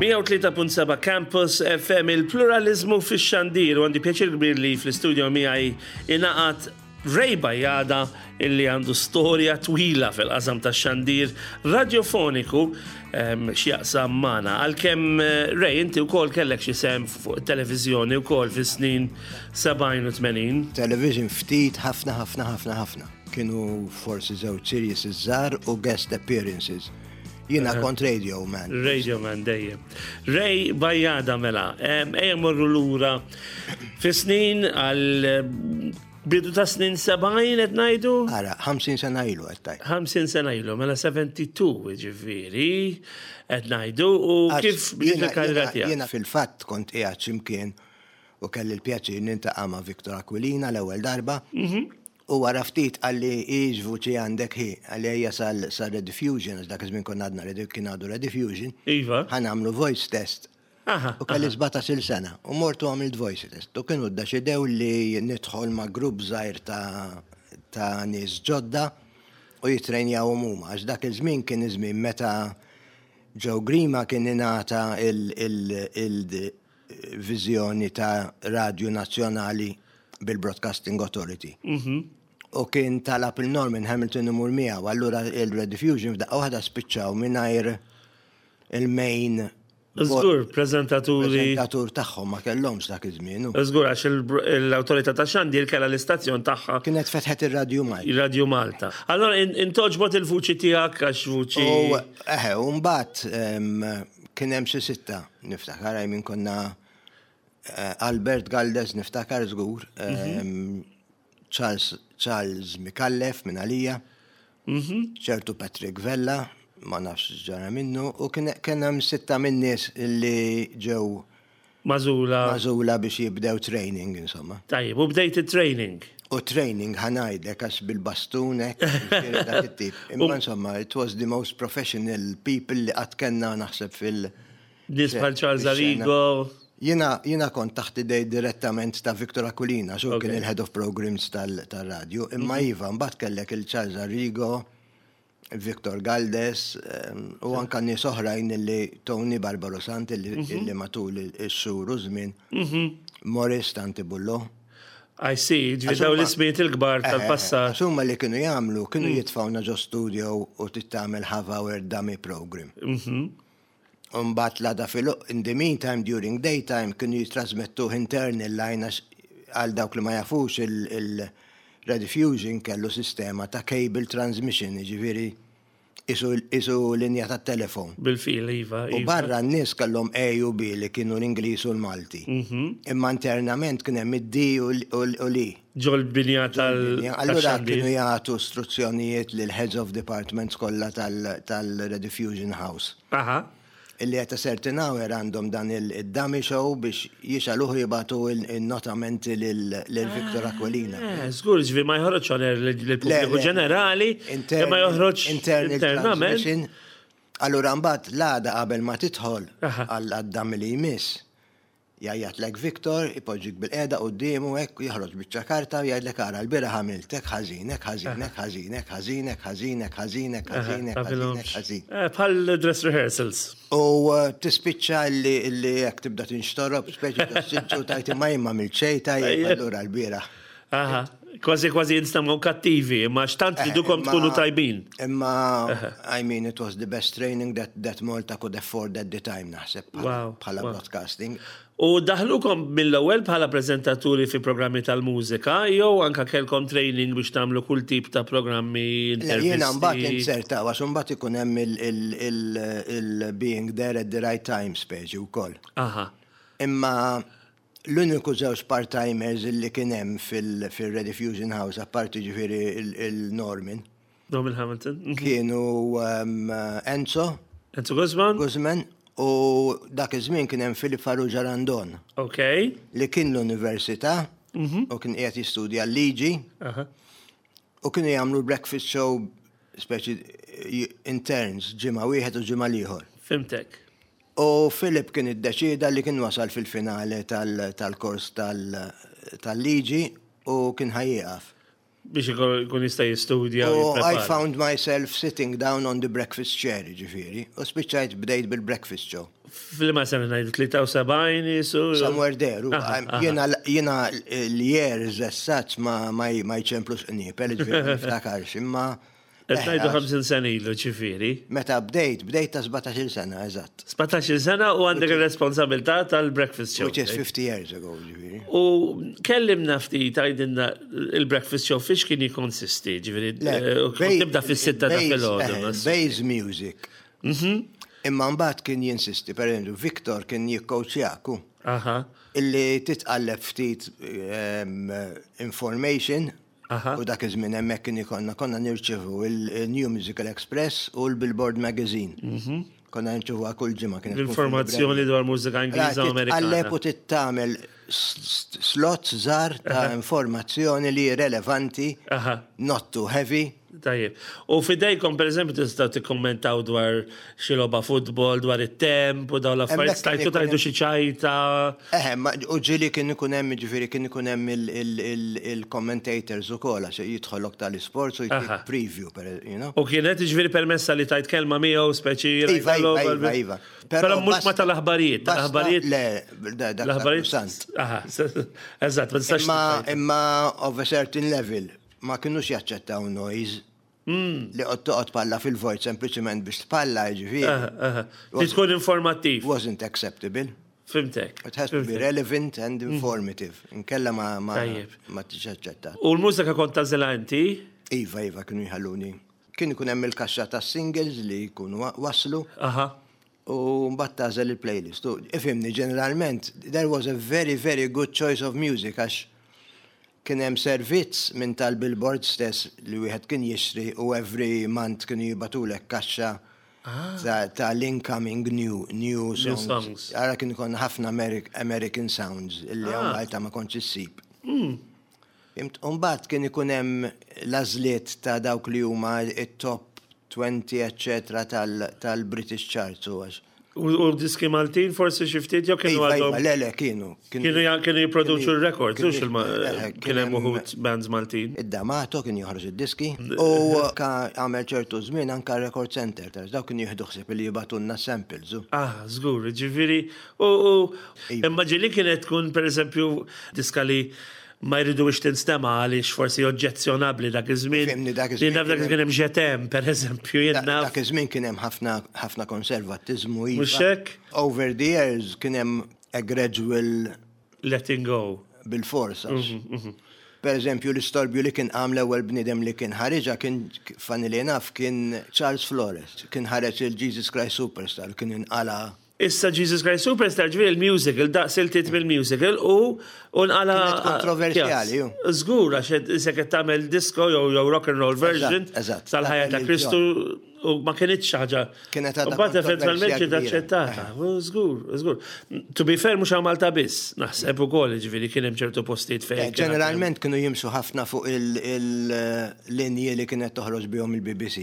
103.7 Campus FM il-pluralizmu fix-xandir u għandi pjaċir kbir li fl-istudio miegħi ingħaqad Ray Bajada illi għandu storja twila fil-qasam tax-xandir radiofoniku ehm, x'jaqsam magħna. Għalkemm eh, Ray inti wkoll kellek xi sehem fuq it-televiżjoni wkoll fis-snin 70 u 80. Television ftit ħafna ħafna ħafna ħafna. Kienu forsi żewġ series żgħar u guest appearances. Jiena kont radio man. Radio man dejjem. Ray Bajada mela, ejja morru lura fi snin għal bidu ta' snin 70 qed ngħidu? Ara, 50 sena ilu qed tgħid. 50 sena ilu, mela 72 ġifieri qed ngħidu u kif bdiet il-karriera tiegħek? Jiena fil-fatt kont qiegħed x'imkien u kelli l-pjaċir niltaqa' ma' Victor Aquilina l-ewwel darba. Mhm. U wara ftit qalli hi x'vuċi għandek hi, qalli ejja sal sar-Rediffusion għax dak iż-żmien konna għadna Redi kien għadu Rediffusion. Iva. Ħa nagħmlu voice test. Aha. U kelli 17-il sena u mort u għamilt voice test. U kienu ddeċidew li nidħol ma' grupp żgħir ta' ta' nies ġodda u jittrejnjawhom huma għax dak iż-żmien kien iż-żmien meta Joe Grima kien ingħata il il il viżjoni ta' radju nazzjonali bil-Broadcasting Authority. Mhm. U kien talab il-Norman Hamilton imur miegħu, allura il-Rediffusion f'daqqa waħda spiċċaw mingħajr il-main Żgur, preżentaturi. Preżentatur tagħhom ma kellhomx dak iż-żmien. Żgur għax l-awtorità ta' xandir kellha l-istazzjon tagħha. Kienet fetħet ir-Radju Malta. Ir-Radju Malta. Allora intoġbot il-vuċi tiegħek għax vuċi. U eħe, u mbagħad Kien hemm xi sitta, niftakar, I mean konna eh, Albert Galdes niftakar żgur, mhm. Charles, Charles Mikallef minn għalija, mhm. ċertu Patrick Vella, ma nafx ġara minnu, u kien hemm sitta minn nies li ġew Mażula. Mażula biex jibdew training, insomma. Tajjeb, u bdejt it-training. U training ħa ngħidlek għax bil-bastun hekk, jiġifieri dak it-tip. Imma insomma, it was the most professional people li qatt kellna naħseb fil- Nies bħal Charles Arrigo. Jiena jiena kont taħt idej direttament ta' Victor Aquilina, għax hu kien il-head of programs tal-radju. Imma iva, mbagħad kellek il-Charles Arrigo, Victor Galdes u anka nies oħrajn li Tony Barbaro Sant li mhm. matul ix-xhur u żmien mhm. Morris Tanti Bullo. I see, ġifieri daw l-ismijiet il-kbar eh, tal-passat. Huma li kienu jagħmlu, kienu mm. jitfawna ġo studio u tittamel half hour dummy program. Mhm. Umbat l-għada fil in the meantime during daytime kienu jitrasmettuh internal line għax għal dawk li ma jafux il-Rediffusion kellu sistema ta' cable transmission, jiġifieri isu linja ta' telefon. Bil-fil, iva. U barra n-nies kellhom A u B li kienu l-Ingliż u l-Malti. Imma internament kien hemm id-D u l-E. Ġol-binja tal. Allura kienu jagħtu struzzjonijiet lil heads of departments kollha tal-Rediffusion House. Aha. Illi at a certain hour għandhom dan il-dummy show biex jixgħaluh u jibagħtu n-notamenti lil Victor Aquilina. Eh, żgur, ġifieri ma joħroġx on air lill-pubbliku ġenerali, imma joħroġ internament. Allura mbagħad l-għada qabel ma tidħol għad-dummy li jmiss, Jgħajjatlek Victor, ipoġġik bilqiegħda quddiemu hekk u joħroġ biċċa karta u jgħidlek ara l-bieraħ għamilt hekk ħażin, hekk ħażin, hekk ħażin, hekk ħażin, hekk ħażin, hekk ħażin, hekk ħażin, hekk ħażin, hekk ħażin. Bħal dress rehearsals. U tispiċċa li li hekk tibda tinxtorob, speċi ġos-siġġu tgħid imma jien m'għamilt xejn tajjeb allura l-bieraħ. Aha. Kważi kważi jinstemgħu kattivi, imma x'tant tridukom tkunu tajbin. Imma, I mean, it was the best training that, that Malta could afford at the time, naħseb, bħala broadcasting. U daħlukom mill-ewwel bħala preżentaturi fi programmi tal-mużika, jew anka kellkom training biex tagħmlu kull tip ta' programmi, intervisti? Jiena mbagħad inzertaw, għax mbagħad ikun hemm il-being there at the right time speċi wkoll. Aha. Imma L-uniku żewġ part-timers li kien hemm fil-Rediffusion House, apparti ġifieri il-Norman. Norman Hamilton. Mhm. Kienu Enzo. Enzo Guzman. Guzman. U dak iż-żmien kien hemm Filip Farrugia Randon. Ok. Li kien l-università mhm. u kien qiegħed jistudja l-liġi. U kienu jagħmlu breakfast show speċi interns ġimgħa wieħed u ġimgħa l-ieħor. Fimtek. U Philip kien iddeċieda li kien wasal fil-finale tal-kors tal-liġi u kien ħa jieqaf. Biex ikun jista' jistudja. U I found myself sitting down on the breakfast chair, ġifieri, u spiċċajt bdejt bil-breakfast show. F'liema sena ngħidu 73 jisu? Somewhere there. Jiena l-years as such ma jċemplux qniepel, ġifieri ma niftakarx, imma. Qed ngħidu 50 sena ilu ġifieri. Meta bdejt, bdejt ta' 17-il sena, eżatt. 17-il sena u għandek ir-responsabilità tal-breakfast show. Which is 50 years ago, ġifieri. U kellimna ftit għidilna il-breakfast show fiex kien jikkonsisti, ġifieri tibda fis-sitta ta' filgħodu. Base music. Imma mbagħad kien jinsisti, per eżempju, Victor kien jikkowċjak hu. Illi titqalleb ftit information u dak iż-żmien hemmhekk kien ikollna konna nirċevu il-New Musical Express u l-Billboard Magazine. Konna nirċevuha kull ġimgħa kienet. L-informazzjoni dwar mużika Ingliża u Amerikana. Titqalleb u titgħamel slots żgħar ta' informazzjoni li relevanti, not too heavy. Tajjeb. U f'idejkom, per eżempju, tistgħu tikkummentaw dwar xi logħba futbol, dwar it-temp u dawn l-affarijiet, stajtu tajdu xi ċajta. Eħe, u ġieli kien ikun hemm, ġifieri kien ikun hemm il-commentators ukoll għax jidħollok tal-isports u jtik preview, you know. U kienet ġifieri permessa li tajt kelma miegħu speċi. Iva, iva, iva, iva. Però mhux ma tal-aħbarijiet, tal-aħbarijiet. Le, dak l-aħbarijiet. Aha, eżatt, ma tistax. Imma of a certain level. Ma kinux jaċċettaw noise. Li qod toqgħod tpalla fil-vojt sempliċement biex tpalla, jiġifieri. Li tkun informattiv. Wasn't acceptable. Fimtek. It has to be relevant and informative. Inkella ma ma ma tiġx aċċettat. U l-mużika kont tagħżilha inti? Iva, iva, kienu jħalluni. Kien ikun hemm il-kaxxa tas-singles li jkunu waslu. U mbagħad tagħżel il-playlist. U ifhimni, ġeneralment, there was a very, very good choice of music għax Kien hemm servizz minn tal-billboard stess li wieħed kien jixtri u every month kienu jibgħatulek kaxxa ta' l-incoming new, new songs. Ara kien ikollna ħafna American sounds illi hawn Malta ma kontx issib. Fhimt? U mbagħad kien ikun hemm l-għażliet ta' dawk li huma t-top 20 eċċetera tal-British Charts u għax. U diski Maltin forsi xi ftit jew kienu iva, għadhom? Iva, le, le, kienu. Kienu kienu jipproduċu r-records, hux kien hemm uħud bands Maltin. Id-D'Amato kien joħroġ id-diski u ka għamel ċertu żmien anka Record Center, dawk kienu jieħdu ħsieb li jibgħatulna samples. Ah, żgur, ġifieri u imma ġieli kienet tkun pereżempju diska li ma jridux tinstema' għaliex forsi oġġezzjonabbli dak iż-żmien. Fimni dak iż-żmien. Jien naf dak iż-żmien hemm Je t'aime, pereżempju, jien naf. Dak iż-żmien kien hemm ħafna ħafna konservattiżmu iva. Mhux hekk? Over the years kien hemm a gradual letting go. Bilfors għax. Per eżempju l-istorbju li kien qam l-ewwel bniedem li kien ħariġha kien funnily enough kien Charles Flores. Kien ħareġ il-Jesus Christ Superstar u kien inqala' Issa Jesus Christ Superstar ġifieri il-musical, daqs il-tit mill-musical u u nqala. Kienet kontroversjali, ju. Żgur għax isek qed tagħmel disco jew jew rock and roll version tal-ħajja ta' Kristu u ma kinitx xi ħaġa. Kienet għadha. Mbagħad eventwalment ġiet aċċettata. Żgur, żgur. To be fair mhux hawn Malta biss, naħseb ukoll ġifieri kien hemm ċertu postijiet fejn. Ġeneralment kienu jimxu ħafna fuq il-linji li kienet toħroġ bihom il-BBC.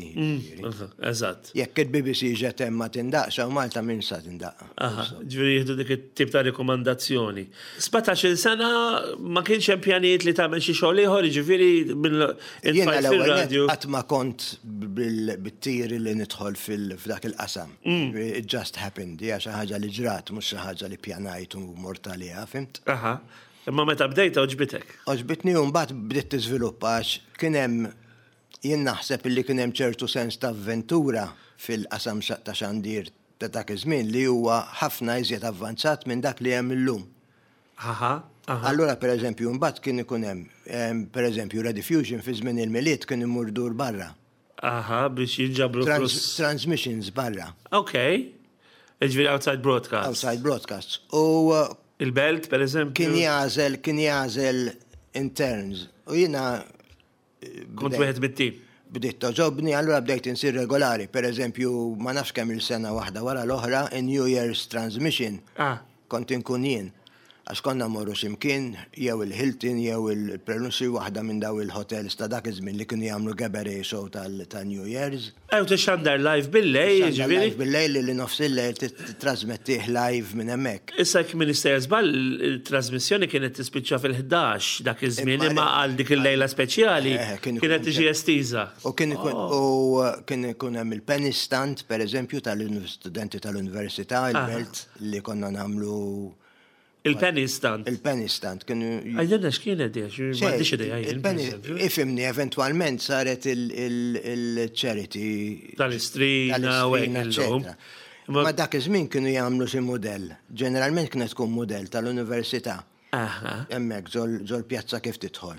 Eżatt. Jekk il-BBC ġet hemm ma tindaqx, hawn Malta min sa tindaqqa. Aha, ġifieri jieħdu dik it-tip ta' rikomandazzjoni. 17-il sena ma kienx hemm pjanijiet li tagħmel xi xogħol ieħor, jiġifieri minn Jiena l-ewwel nett qatt ma kont bit-tiri li nidħol f'dak il-qasam. It just happened, hija xi ħaġa li ġrat, mhux xi ħaġa li ppjanajt u mort għaliha, fhimt? Aha. Imma meta bdejt għoġbitek? Għoġbitni u mbagħad bdiet tiżviluppa għax kien hemm Jien naħseb illi kien hemm ċertu sens ta' avventura fil-qasam ta' xandir ta' dak iż-żmien li huwa ħafna iżjed avvanzat minn dak li hemm illum. Aha, aha. Allura per eżempju mbagħad kien ikun hemm, per eżempju Rediffusion fi żmien il-Milied kien imur dur barra. Aha, biex jinġabru flus. Transmissions barra. Ok. Jiġifieri outside broadcasts. Outside broadcasts. U Il-Belt, per eżempju. Kien jagħżel, kien jagħżel interns. U jiena Kont wieħed mit-tim. Bdiet togħġobni, allura bdejt insir regolari. Per eżempju, ma nafx kemm il-sena waħda wara l-oħra, in New Year's Transmission, ah. kont inkun jien. Għax konna mmorru xi mkien, jew il-Hilton jew il-Prelude xi waħda minn daw il-hotels ta' dak iż-żmien li kienu jagħmlu cabaret show ta' New Year's. Ew tixxandar live bil-lejl, jiġifieri? Live bil-lejl li nofs il-lejl tittrasmettih live minn hemmhekk. Issa jekk m'iniex sejjer żball, il-trasmissjoni kienet tispiċċa fil-11 dak iż-żmien, imma għal dik il-lejla speċjali kienet tiġi estiża. U kien ikun u kien ikun hemm il-penny stand, pereżempju, tal-istudenti tal-università, il-belt li konna nagħmlu Il-penny stand. Il-penny stand kienu. Għajdilna x'kienet di, għax m'għandix idea jien. Ifimni, eventwalment saret il-charity. Tal-istrina u hekk illum. Ma dak iż-żmien kienu jagħmlu xi mudell. Ġeneralment kienet tkun mudell tal-università. Hemmhekk ġol-pjazza kif tidħol.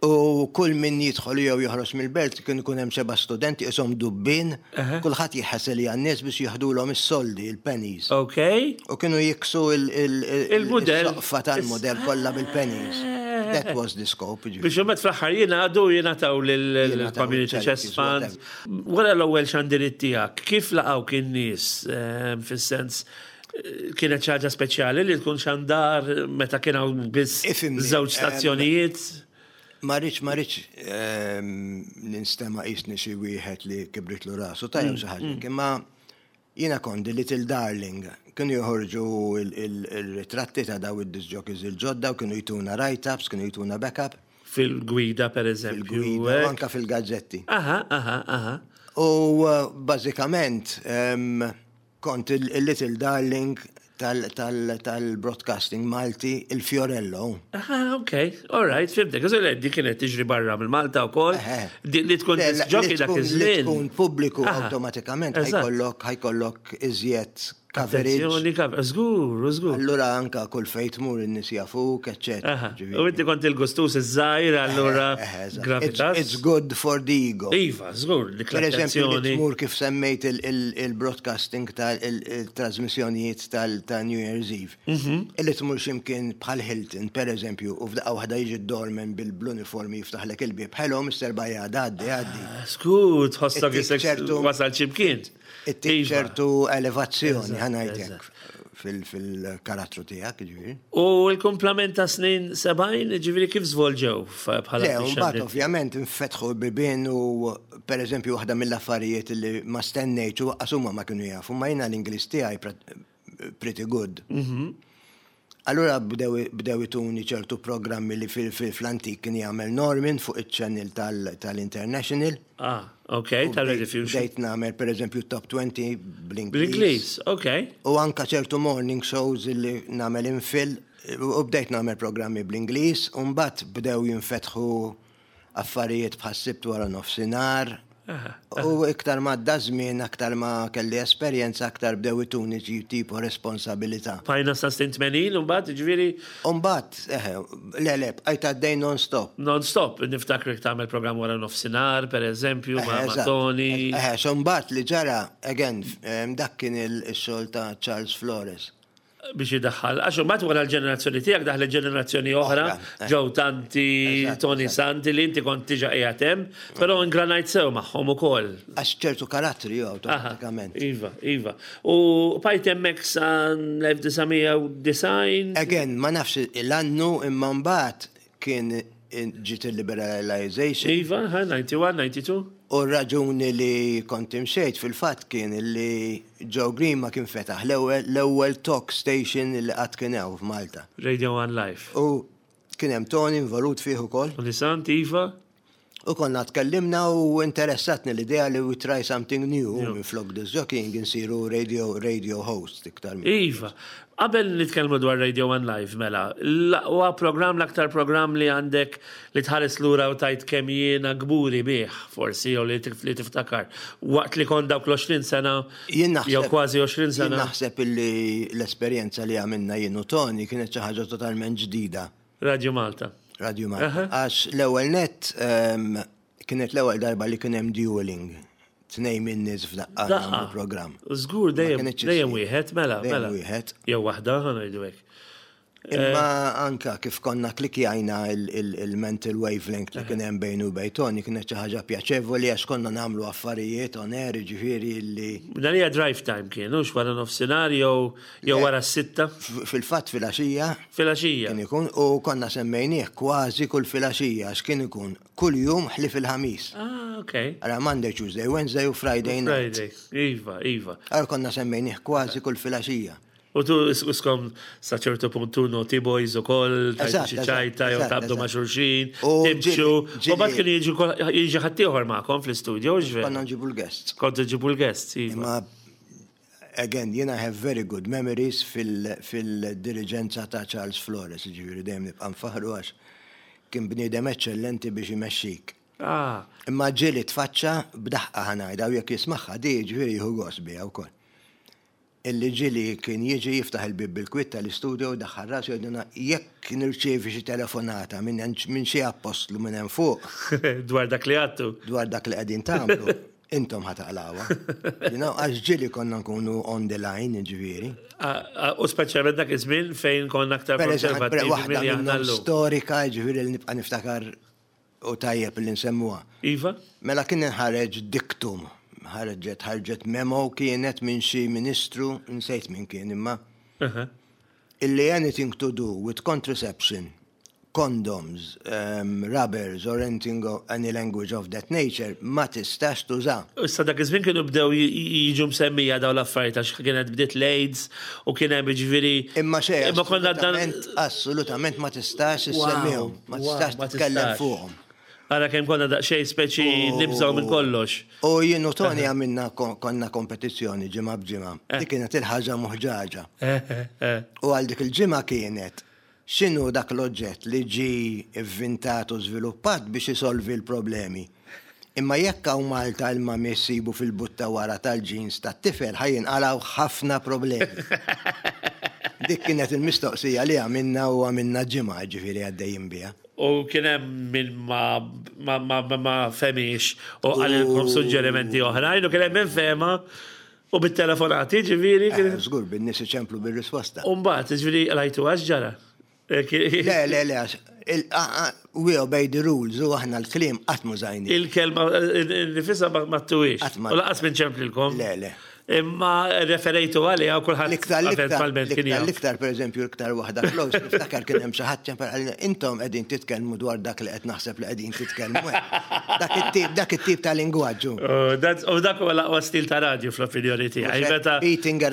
U kull min jidħol jew joħroġ mill-belt kien ikun hemm xeba' studenti qishom dubbien, kulħadd jħesel għan-nies biex jieħdulhom is-soldi, il-pennies. Ok. U kienu jiksu il-mudell. Il-soqfa tal-mudell kollha bil-pennies. That was the scope. Biex imbagħad fl-aħħar jingħadu jingħataw lill-Community Chest Fund. Wara l-ewwel xandiriet tiegħek, kif laqgħuk in-nies fis-sens Kienet xi ħaġa speċjali li tkun xandar meta kien hawn biss żewġ stazzjonijiet? Ma rridx ma rridx ehm, ninstema' qisni xi wieħed li kibritlu rasu ta' jew xi ħaġa, mm. imma jiena kont Little Darling, kienu joħorġu il-ritratti ta' daw id-disjockeys il-ġodda u kienu jtuna write-ups, kienu jtuna backup. Fil-gwida, per eżempju. Fil-gwida, anka fil-gazzetti. Aha, aha, aha. U eh, bażikament, ehm, Kont il-little darling tal-broadcasting Malti, il-Fiorello. Ah, ok, all right, fimtek. Għax di kienet tiġri barra mill Malta u koll. Li tkun ġoki dak iż-żmien. Li tkun pubbliku awtomatikament ħajkollok ħajkollok iżjed coverage. Żgur, żgur. Allura anka kull fejn tmur in-nies jafuk, eċċetera. U inti kont il-gustus iż-żgħir, allura gravitas. It's good for the ego. Iva, żgur, dik Per eżempju, li tmur kif semmejt il-broadcasting tal-trasmissjonijiet ta' New Year's Eve. Mhm. Illi tmur ximkien bħal Hilton, per eżempju, u f'daqqa waħda jiġi d-doorman bil-uniformi jiftaħlek il-bieb. Hello, Mr. Bajada, għaddi, għaddi. Ah, Żgur, tħossok isek wasal ximkien. Ittik iva. ċertu elevazzjoni, ħanajtek fil-karattru tiegħek, ġifieri. U l-kumplament ta' snin 70, ġifieri kif żvolġew bħala Le, mbagħad ovvjament infetħu bibien u pereżempju waħda mill-affarijiet li ma stennejtx u waqqas huma ma kienu jafu, ma jiena l-Ingliż tiegħi pretty good. Mhm. Allura bdew ituni ċertu programmi li fl-antik kien jagħmel Norman fuq iċ-channel tal-International. Ah, ok, tal-Rediffusion. Bdejt nagħmel pereżempju top 20 bl-Ingliż. Bl-Ingliż, ok. U anka ċertu morning shows li nagħmel infil u bdejt nagħmel programmi bl-Ingliż u mbagħad bdew jinfetħu affarijiet bħas-Sibt wara nofsinhar. U iktar ma għadda żmien, aktar ma kelli esperjenza, aktar bdew ituni xi tipo responsabilità. Bqajna sa snin 80 imbagħad, jiġifieri? U mbagħad, eħe, le le, bqajt għaddej non-stop. Non-stop, niftakrek tagħmel programm wara nofsinhar, per eżempju, ma' Tony. Eħe, so mbagħad li ġara, again, dak kien ix-xogħol ta' Charles Flores. biex idaħħal. Għax imbagħad wara l-ġenerazzjoni tiegħek daħlet ġenerazzjoni oħra, eh. ġew tanti, Tony Santi li inti kont diġà qiegħed hemm, però ingranajt sew magħhom ukoll. Għax ċertu karattri jew awtomatikament. Iva, iva. U bajt hemmhekk sa l-1990. Again, ma nafx l-annu imma mbagħad kien ġiet il-liberalization. Iva, 91, 92. U r-raġuni li kont imxejt fil-fatt kien li Joe Grima kien fetaħ l-ewwel talk station li qatt kien hawn f'Malta. Radio One Live. U kien hemm Tony involut fih ukoll. Tony Sant, iva. U konna tkellimna u interessatni l-idea li we try something new minn flok disc jockeying insiru radio, radio host iktar minn. Iva. Qabel nitkellmu dwar Radio One Live mela, l-aqwa programm, l-aktar programm li għandek li tħares lura u tgħid kemm jiena kburi bih forsi jew li tiftakar waqt li kont dawk l-20 sena jew kważi 20 sena. Jien naħseb illi l-esperjenza li għamilna jien u Tony kienet xi ħaġa totalment ġdida. Radio Malta. Radio Malta. Għax l-ewwel nett kienet l-ewwel darba li kien hemm dueling. Tnejn minn nies f'daqqa nagħmlu programm. Żgur dejjem dejjem wieħed mela mela. Wieħed. Jew waħda ħa ngħidu hekk. Imma anka kif konna klikjajna il-mental wavelength li kien hemm bejnu u bejn Tony kienet xi ħaġa pjaċevoli għax konna nagħmlu affarijiet on air ġifieri li. Dan hija drive time kien, hux wara nofsinhar jew jew wara s-sitta? Fil-fatt filgħaxija. Filgħaxija. Kien ikun u konna semmejnieh kważi kull filgħaxija għax kien ikun kull jum ħlief il-Ħamis. Ah, ok. Ara Monday, Tuesday, Wednesday u Friday night. Friday, iva, iva. Ara konna semmejnieh kważi kull filgħaxija. U tu iskom sa ċertu punt tu naughty boys u koll, tajtu xi ċajta jew tabdu ma' xulxin, timxu. U bat kien jiġi ħaddieħor magħkom fl-istudio, ġifieri. Konna nġibu l-guests. Kontu ġibu l-guests, iva. Imma again, jiena have very good memories fil-diriġenza ta' Charles Flores, ġifieri dejjem nibqa' nfaħru għax kien bniedem eċċellenti biex imexxik. Ah. Imma ġieli tfaċċa b'daħqa ħa ngħidha u jekk jismagħha di ġifieri jieħu gost biha wkoll. Illi ġieli kien jiġi jiftaħ il-bieb bil-kwiet tal-istudio u jdaħħal rasu jgħidilna jekk nirċievi xi telefonata minn minn xi appostlu minn hemm fuq. Dwar dak li għadtu. Dwar dak li qegħdin tagħmlu, intom ħa taqlgħuha. You know, għax ġieli konna nkunu on the line, jiġifieri. U speċjalment dak iż-żmien fejn konna aktar konservattivi milli aħna llum. Storika, jiġifieri li nibqa' niftakar U tajjeb li nsemmuha. Iva. Mela kien inħareġ dictum, ħarġet ħarġet memo kienet minn xi ministru, nsejt min kien imma. Illi anything to do with contraception, condoms, um, rubbers or anything of any language of that nature ma tistax tuża. Issa dak iż-żmien kienu bdew jiġu msemmija dawn l-affarijiet għax kienet bdiet l-AIDS u kien hemm jiġifieri. Imma xejn. Imma konna dan. Assolutament ma tistax issemmihom. Ma tistax titkellem fuqhom. Ara kemm konna daqsxejn speċi nibżgħu minn kollox. U jien u Tony għamilna konna kompetizzjoni ġimgħa b'ġimgħa. Dik kienet il-ħaġa muħġaġa. U għal dik il-ġimgħa kienet x'inhu dak l-oġġett li ġie vvintat u żviluppat biex isolvi l-problemi. Imma jekk hawn Malta il-mami ssibu fil-but ta' wara tal-jeans tat-tifel ħa jinqalgħu ħafna problemi. Dik kienet il-mistoqsija li għamilna u għamilna ġimgħa ġifieri għaddejjin biha. U kien hemm min ma ma ma ma fehmiex u qalilkom suġġerimenti oħrajn u kien hemm min fehma u bit-telefonati ġifieri. Żgur bin-nies iċemplu bir-risposta. U mbagħad ġifieri qlajtuha x'ġara? Le, le, le, we obey the rules, u aħna l-kliem qatt mużajni. Il-kelma nifisa ma tuwix. U laqas minn ċemplilkom. Le, le. Imma referejtu għaliha u kulħadd eventwalment kien jaf. L-iktar, per eżempju, l-iktar waħda close, niftakar kien hemm xi ħadd ċempel għalina, intom qegħdin titkellmu dwar dak li qed naħseb li qegħdin titkellmu. Dak it-tip, dak it-tip ta' lingwaġġu. U dak huwa l-aqwa stil ta' radju fl-opinjoni tiegħi. Meta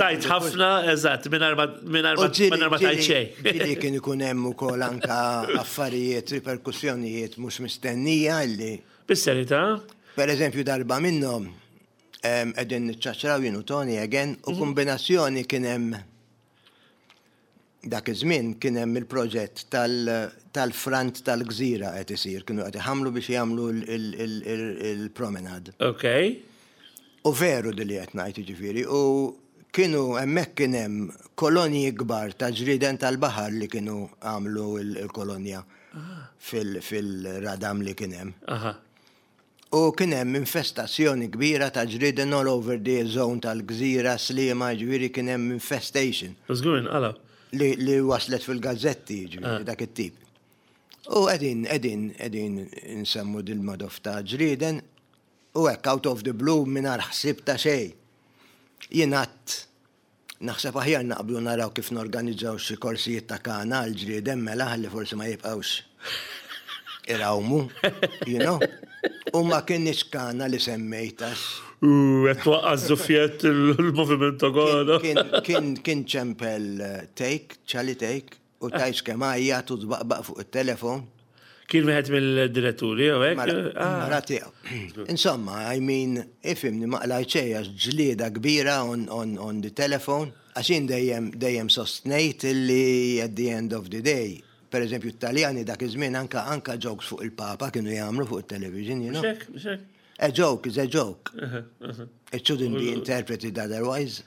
tajt ħafna, eżatt, mingħajr ma Mingħajr ma tgħid xejn. Ġieli kien ikun hemm ukoll anka affarijiet, riperkussjonijiet mhux mistennija li. Bis-serjetà? Per eżempju darba minnhom qegħdin niċċaċċraw jien u Tony again u kombinazzjoni kien hemm dak iż-żmien kien hemm il-proġett tal-front tal-gżira qed isir, kienu qed iħammlu biex jagħmlu il-promenade. Ok. U veru di li qed ngħid jiġifieri u kienu hemmhekk kien hemm kolonji kbar ta' ġrieden tal-baħar li kienu għamlu l-kolonja fil-radam li kien hemm. U kien hemm infestazzjoni kbira ta' ġrieden all over the zone tal-gżira, Sliema, jiġifieri kien hemm infestation. U żgur inqalgħu. Li waslet fil-gazzetti, jiġifieri dak it-tip. U qegħdin qegħdin qegħdin insemmu dil-madoff ta' ġrieden U hekk out of the blue mingħajr ħsieb ta' xejn. Jien għadt naħseb aħjar naqblu naraw kif norganizzaw xi korsijiet ta' kana għall-ġrieden mela ħalli forsi ma jibqgħux irawmu, you know. U ma kinitx kana li semmejt għax. U qed twaqqa' ż-żuffjett il-moviment ta' kana. Kien ċempel Take, Charlie Take, U tgħidx kemm għajjat u tbaqbaq fuq it-telefon. Kien wieħed mill-diretturi jew hekk? Mara tiegħu. Insomma, I mean, ifhimni ma qlajt xejn għax ġlieda kbira on, on, on the telephone, għax jien dejjem dejjem sostnejt li at the end of the day, per eżempju t-Taljani dak iż-żmien anka anka jokes fuq il-Papa kienu jagħmlu fuq it-television, you know. Mhux hekk, mhux hekk. A joke is a joke. It shouldn't be interpreted otherwise.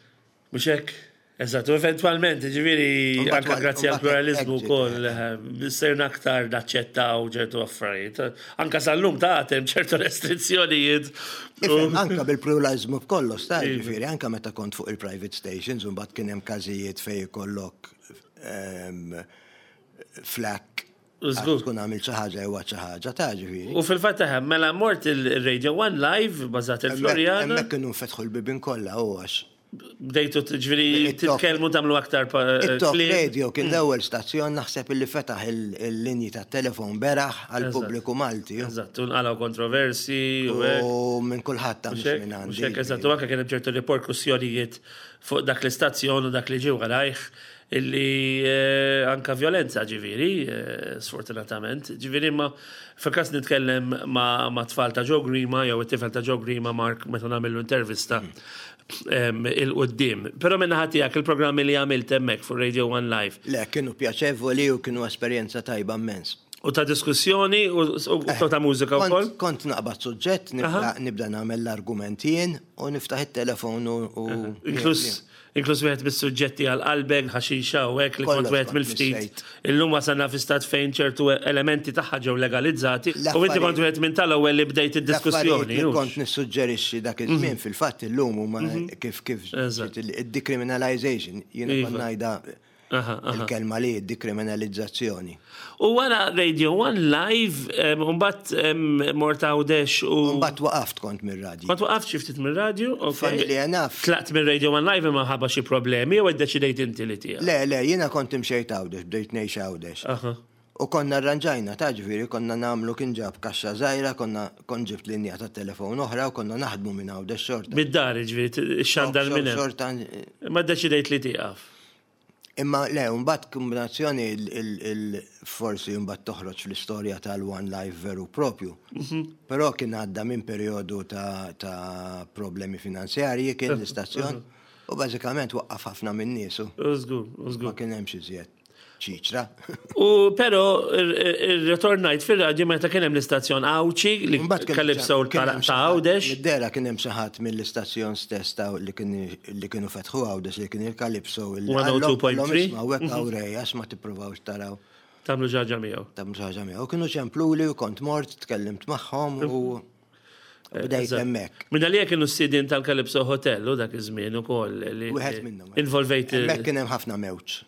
Mhux hekk? Eżatt, u eventwalment, ġifieri, anka grazzi għal pluralizmu wkoll, eh, sirna aktar naċċettaw ċertu affarijiet. Anka sal-lum ta' hemm ċertu restrizzjonijiet. Anka bil-pluralizmu b'kollox, ta' iva. ġifieri, anka meta kont fuq il-private stations, u mbagħad kien hemm każijiet fejn ikollok ehm, flak. Żgur. Tkun għamilt xi ħaġa jew xi ħaġa ta' ġifieri. U fil-fatt eħe, mela mort il-Radio One Live bażat il-Floriana. Hemmhekk kienu nfetħu l-bibien kollha u għax. Bdejtu ġifieri titkellmu tagħmlu aktar It-Top Radio kien l-ewwel stazzjon naħseb illi fetaħ il-linji tat-telefon beraħ għall-pubbliku Malti. Eżatt, u nqalgħu kontroversi u hekk. U minn kulħadd ta' mhux minn għandi. Mhux hekk, eżatt, u anke kien hemm ċertu riperkussjonijiet fuq dak l-istazzjon u dak li ġie warajh illi anka vjolenza ġifieri, sfortunatament. Ġifieri imma fil-każ nitkellem ma' tfal ta' Joe Grima jew it-tifel ta' Joe Grima Mark meta nagħmillu intervista il-quddiem. Però minn naħa tiegħek il-programmi li għamilt hemmhekk fuq Radio One Live. Le, kienu pjaċevoli u kienu esperjenza tajba immens. U ta' diskussjoni u ta' mużika wkoll? Kont naqbad suġġett, nibda nagħmel l-argument jien u niftaħ it-telefon u. Inkluż Inkluż wieħed mis-suġġetti għal qalbek, ħaxixa u hekk li kont wieħed mill-ftit. Illum wasalna fi stat fejn ċertu elementi tagħha ġew legalizzati u inti kont wieħed minn tal-ewwel li bdejt id-diskussjoni. Li kont nissuġġerixxi dak iż-żmien fil-fatt illum huma kif kif id-decriminalization jiena kont ngħidha Il-kelma li decriminalizzazzjoni. U wara Radio One Live, mbagħad mort Għawdex u. Mbagħad waqaft kont mir-radju. Kont waqaft xi ftit mir-radju, ok. Funnily enough. Tlaqt minn Radio One Live imma ħabba xi problemi jew iddeċidejt inti li tieqaf? Le, le, jiena kont imxejt Għawdex, bdejt ngħix Għawdex. U konna rranġajna, ta' ġifieri konna nagħmlu kien ġab kaxxa żgħira, konna kont ġibt linja ta' telefon oħra u konna naħdmu minn Għawdex xorta. Mid-dar, ġifieri, xandar minn hemm. Xorta. Imma ddeċidejt li tieqaf. Imma le, mbagħad kombinazzjoni forsi mbagħad toħroġ fl-istorja tal-One Life veru propju. Mhm. Però kien għadda minn perjodu ta' problemi finanzjarji kien l-istazzjon u bażikament waqqaf ħafna minn niesu. Żgur, żgur. Ma kien hemm xi żjed. ċiċra. U pero irritornajt fir-radju meta kien hemm l-istazzjon Għawdxi li Calypso ta' Għawdex. Mid-dehra kien hemm xi ħadd mill-istazzjon stess ta' li kienu fetħu Għawdex li kien il-Calypso. 102.3. Isma' hekk hawn Ray għax ma tippruvawx taraw. Tagħmlu xi ħaġa miegħu. Tagħmlu xi ħaġa miegħu. Kienu ċempluli u kont mort, tkellimt magħhom u bdejt hemmhekk. Minn għalija kienu s-sidien tal-Calypso Hotel u dak iż-żmien ukoll. Wieħed minnhom. Involvejt. Hemmhekk kien hemm ħafna mewġ.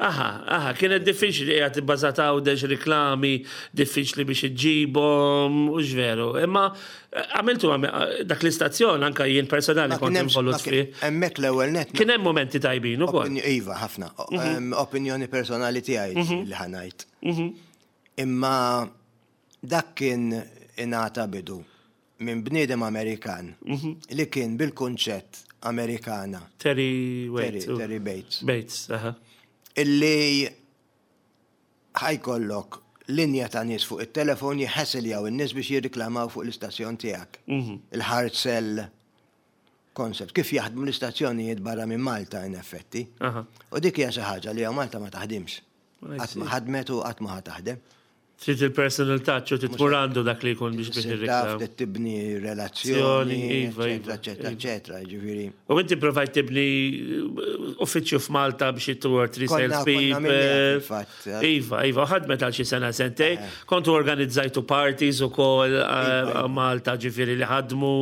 Aha, aha, kienet diffiċli qiegħed ibbażat Għawdex riklami, diffiċli biex iġġibhom, u veru. Imma eh, għamiltu eh, dak l-istazzjon anka jien personali kont involut fih. Hemmhekk l-ewwel net. Kien hemm momenti tajbin ukoll. Iva, ħafna. Mhm. Opinjoni personali tiegħi mhm. li ħanajt. Mhm. Imma dak kien ingħata bidu minn bniedem Amerikan li kien bil-kunċett Amerikana. Terry Waits. Terry Bates. Bates, aha. Illi ħajkollok linja ta' nies fuq it-telefon jħessiljaw in-nies biex jirriklamaw fuq l-istazzjon tiegħek. Mhm. Il-hard sell concept. Kif jaħdmu l-istazzjonijiet barra minn Malta in effetti. U dik hija xi ħaġa li hawn Malta ma taħdimx. Qatt ma ħadmet u qatt ma ħa taħdem. Trid il-personal touch u trid tmur għandu dak li jkun biex biex irreklam. Trid tibni relazzjoni, iva, iva, eċetera, iva. eċetera, ġifieri. U inti provajt tibni eh, uffiċċju f'Malta biex two or three sales people. Eh. Iva, iva, ħadmet għal xi sena sentej. Eh. Kontu organizzajtu parties ukoll iva, Malta ġifieri li ħadmu.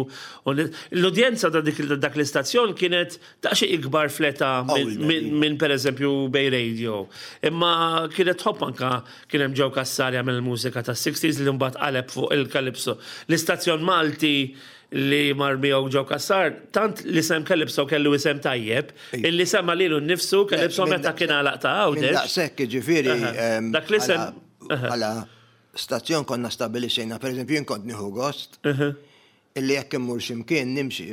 L-udjenza ta' dak l-istazzjon kienet Daqsxejn ikbar fl-età minn pereżempju Bay Radio. Imma kienet tħobb anka kien hemm Joe Cassar jagħmel il-mużika tas-60s li mbagħad qaleb fuq il-Calypso. L-istazzjon Malti li mar miegħu Joe Cassar, tant l-isem Calypso kellu isem tajjeb, illi semma lilu nnifsu Calypso meta kien għalaq ta' Għawdex. Daqshekk jiġifieri. Dak l-isem. Bħala stazzjon konna stabilixxejna, pereżempju jien kont nieħu gost. Illi jekk immur xi mkien nimxi,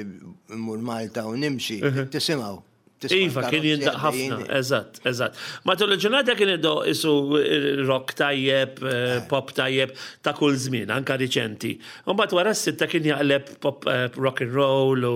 immur Malta u nimxi, tisimgħu. Iva, kien jindaq ħafna, eżatt, eżatt. Matul il-ġurnata kien idoq isu eh, rock tajjeb, eh, eh. pop tajjeb ta' kull żmien, anka riċenti. Mbagħad wara s-sitta kien jaqleb pop rock and roll u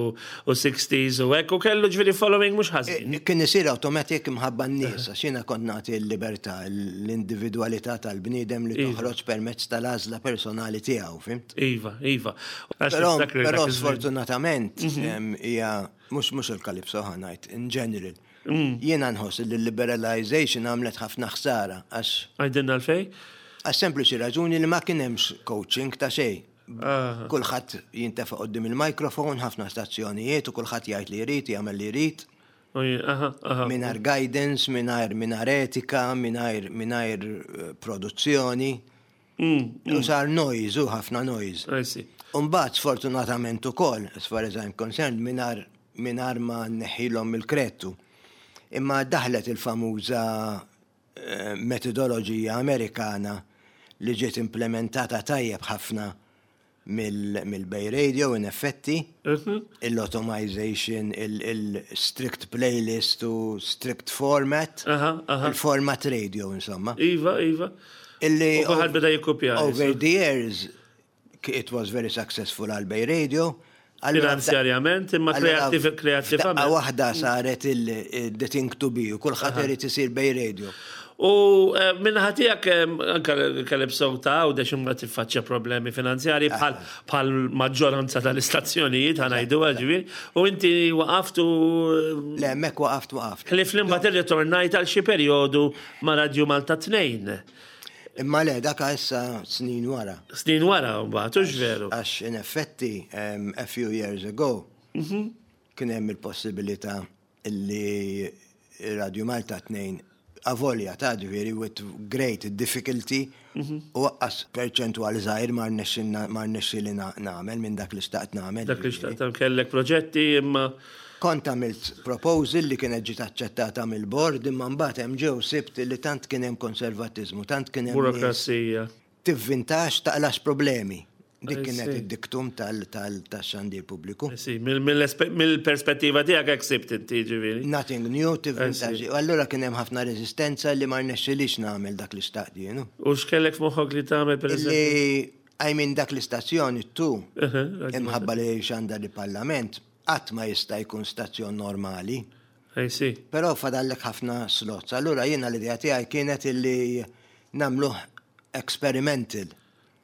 60s u hekk u kellu ġifieri following mhux ħażin. Kien isir automatic mħabba n-nies, għax jiena kont nagħti l-libertà, l-individwalità tal-bniedem li iva. toħroġ permezz tal-għażla personali tiegħu, fimt? Iva, iva. Però sfortunatament mhm. hija mhux mhux il-Calypso ħa ngħid, in general. Mm. Jiena nħoss li l-liberalization għamlet ħafna ħsara għax. Għajdinna l-fej? Għax sempliċi raġuni li ma kien hemmx coaching ta' xejn. Kulħadd jintefa' qudiem il-mikrofon, ħafna stazzjonijiet u kulħadd jgħid li jrid, jagħmel li jrid. Mingħajr guidance, mingħajr mingħajr etika, mingħajr mingħajr eh, produzzjoni. Mm, mm. U sar noise, u ħafna noise. Umbagħad sfortunatament ukoll, as far as I'm concerned, mingħajr mingħajr ma nneħħilhom il-krettu. Imma daħlet il-famuża eh, metodoloġija Amerikana li ġiet implementata tajjeb ħafna mill-Bay Radio in effetti, il-automization, il-strict playlist u strict format, il-format radio insomma. Iva, iva. Illi U kulħadd beda jikkupja. Over the years, it was very successful għal Bay Radio. Finanzjarjament, imma kreattivament. Daqqa waħda saret il-the thing to be u kulħadd irid isir Bay Radio. U eh, minnaħa tiegħek eh, anka Calypso ta' Għawdex imbagħad tiffaċċja problemi finanzjarji bħal bħal maġġoranza tal-istazzjonijiet ħanajdu ġifieri. U inti waqaft u eh, Le, hemmhekk waqaft waqaft. Ħlief li mbagħad irritornajt għal xi perjodu ma' Radju Malta 2. Imma le, daka issa snin wara. Snin wara mbagħad, hux veru. Għax in effetti, a few years ago, kien hemm il-possibilità li Radio Malta 2 avolja ta' ġifieri with great difficulty u aqqas perċentwali żgħir ma rnexxieli nagħmel minn dak li xtaqt nagħmel. Dak li xtaqt kellek proġetti imma. Kont għamilt proposal li kienet ġiet aċċettata mill-bord imma mbagħad hemm ġew sibt li tant kien hemm konservattiżmu, tant kien hemm. Burokrazija. Tivvintax taqlax problemi. Dik kienet id-diktum tal-xandir pubbliku. Mill-perspettiva tiegħek hekk sibt inti ġifieri. Nothing new, tivvintax. U allura kien hemm ħafna reżistenza li ma rnexxilix nagħmel dak li xtaqt jien. U x'kellek f'moħħok li tagħmel pereżempju? I mean dak l-istazzjon it-tu, imħabba li xandar il-Parlament, qatt ma jista' jkun stazzjon normali. I see. Però fadallek ħafna slots. Allura jiena l-idea tiegħi kienet illi nagħmluh experimental.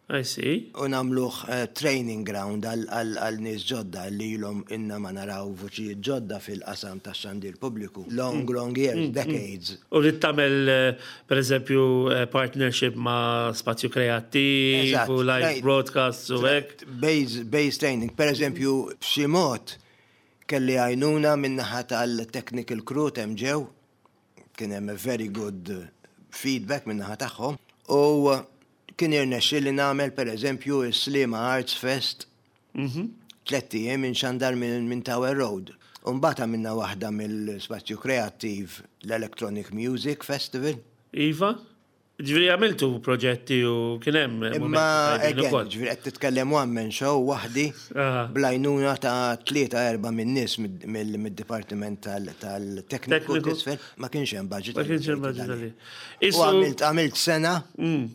I see. U nagħmluh eh, training ground għal nies ġodda li ilhom inna ma naraw vuċijiet ġodda fil-qasam tax-xandir pubbliku. Long, mm. long years, mm, mm. decades. U li tagħmel eh, per eżempju eh, partnership ma' spazju kreattiv u live broadcasts u hekk. Base, base training. Per eżempju, b'xi mod kelli għajnuna min-naħa tal-technical crew t'hemm ġew Kien hemm a very good feedback min-naħa tagħhom u kien irnexxieli nagħmel pereżempju s-Sliema Arts Fest tlett ijiem inxandar minn Tower Road. U mbagħad għamilna waħda mill-Spazju Kreattiv l-Electronic Music Festival. Iva? Ġifieri għamiltu proġetti u kien hemm Imma again, ġifieri qed titkellem one man show waħdi bl-għajnuna ta' tlieta erba' min-nies mid-dipartiment tal-tekniku t'isfel, ma kienx hemm budget. Ma kienx hemm budget għalih. U għamilt għamilt sena mm.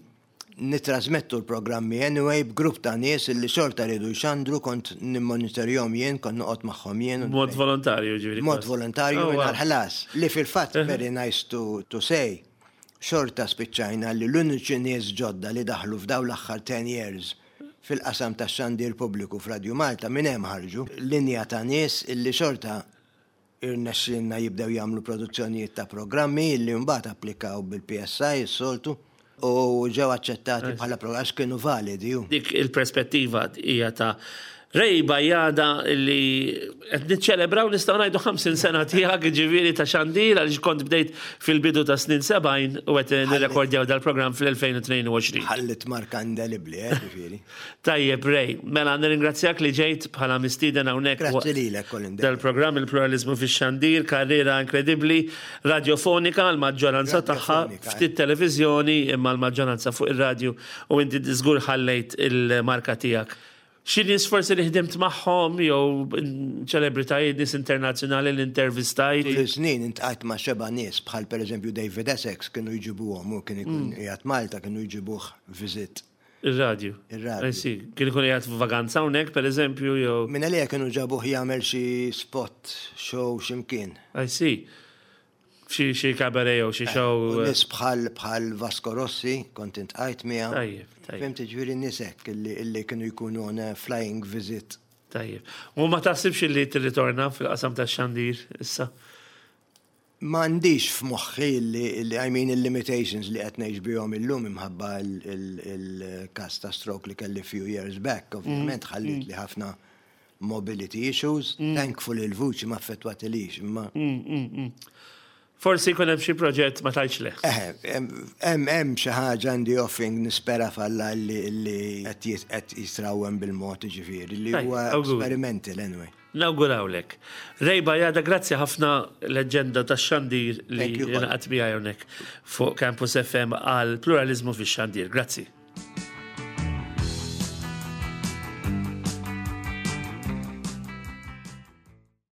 nitrasmettu l-programmi anyway b'grupp ta' nies li xorta riedu jxandru kont nimmonitorjhom jien, kont noqgħod magħhom jien. Mod volontarju ġifieri. Mod volontarju oh, mingħajr ħlas. Li fil-fatt very nice to, to say Xorta spiċċajna li l-uniċi nies ġodda li daħlu f'dawn l-aħħar ten years fil-qasam tax-xandir pubbliku f'Radju Malta minn hemm ħarġu. Linja ta' nies illi xorta irnexxielna jibdew jagħmlu produzzjonijiet ta' programmi illi mbagħad applikaw bil-PSI s-soltu u ġew aċċettati bħala għax kienu validi. Dik il-perspettiva hija ta' Ray Bajada li qed niċċelebraw nistgħu ngħidu 50 sena tiegħek ġifieri ta' xandir għaliex kont bdejt fil-bidu ta' snin 70 u qed nirrekordjaw dal-programm fl-2022. Ħallit marka indelibbli, eh, ġifieri. Tajjeb Ray, mela nirringrazzjak li ġejt bħala mistieden hawnhekk. Grazzi lilek Colin. Dal-programm il-pluralizmu fix-xandir, karriera inkredibbli, radjofonika l-maġġoranza tagħha, ftit televiżjoni imma l-maġġoranza fuq ir-radju u inti żgur ħallejt il-marka tiegħek. Xi nies forsi li ħdimt magħhom jew ċelebritajiet, nies internazzjonali li intervistajt? Tul is-snin intqajt ma' xebgħa nies bħal pereżempju David Essex kienu jġibuhom, hu kien ikun qiegħed Malta kienu jġibuh visit. Ir-radju. Ir-radju. I see. Kien ikun qiegħed f'vaganza hawnhekk pereżempju jew? Minn għalija kienu ġabuh jagħmel xi spot show xi mkien. I see. Xi xi cabaret jew xi show. U nies bħal bħal Vasco Rossi kont intqajt miegħu. Tajjeb, tajjeb. Fhimt jiġifieri nies hekk illi illi kienu jkunu on a flying visit. Tajjeb. U ma taħsibx illi tirritorna fil-qasam tax-xandir issa? M'għandix f'moħħi illi illi I mean il-limitations li qed ngħix bihom illum imħabba il-każ ta' stroke li kelli few years back, ovvjament ħallietli ħafna. mobility issues. Thankfully l-vuċi ma affettwatilix, imma. Forsi jkun hemm xi proġett ma tgħidx le. Eħe, hemm xi ħaġa in the offing, nispera f'Alla li qed jitrawwem bil-mod, ġifieri li huwa experimental anyway. Nawgurawlek. Ray Bajada, grazzi ħafna, leġġenda tax-xandir li ingħaqadt miegħi hawnhekk fuq Campus FM għal pluraliżmu fix-xandir. Grazzi.